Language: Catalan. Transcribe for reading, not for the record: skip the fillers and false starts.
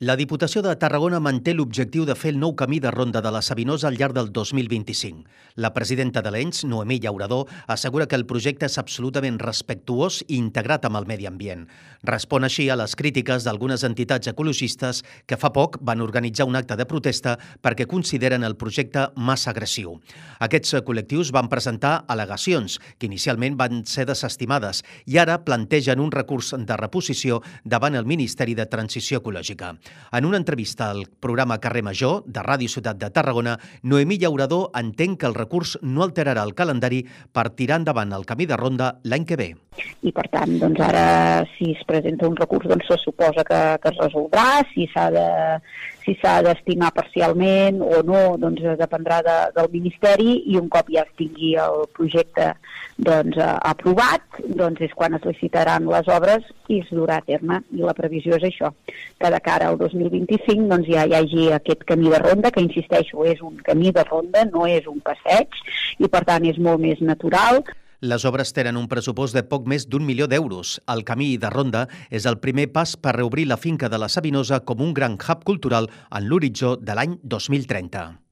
La Diputació de Tarragona manté l'objectiu de fer el nou camí de ronda de la Sabinosa al llarg del 2025. La presidenta de l'ENS, Noemí Llaurador, assegura que el projecte és absolutament respectuós i integrat amb el medi ambient. Respon així a les crítiques d'algunes entitats ecologistes que fa poc van organitzar un acte de protesta perquè consideren el projecte massa agressiu. Aquests col·lectius van presentar al·legacions que inicialment van ser desestimades i ara plantegen un recurs de reposició davant el Ministeri de Transició Ecològica. En una entrevista al programa Carrer Major de Ràdio Ciutat de Tarragona, Noemí Llaurador entén que el recurs no alterarà el calendari per tirar endavant el camí de ronda l'any que ve. I per tant, doncs ara si es presenta un recurs se suposa que es resoldrà, si s'ha d'estimar parcialment o no, doncs dependrà del Ministeri, i un cop ja es tingui el projecte aprovat, doncs és quan es licitaran les obres i es durà a terme. I la previsió és això, que de cara al 2025 doncs ja hi hagi aquest camí de ronda, que insisteixo, és un camí de ronda, no és un passeig, i per tant és molt més natural. Les obres tenen un pressupost de poc més d'1 milió d'euros. El camí de ronda és el primer pas per reobrir la finca de la Sabinosa com un gran hub cultural en l'horitzó de l'any 2030.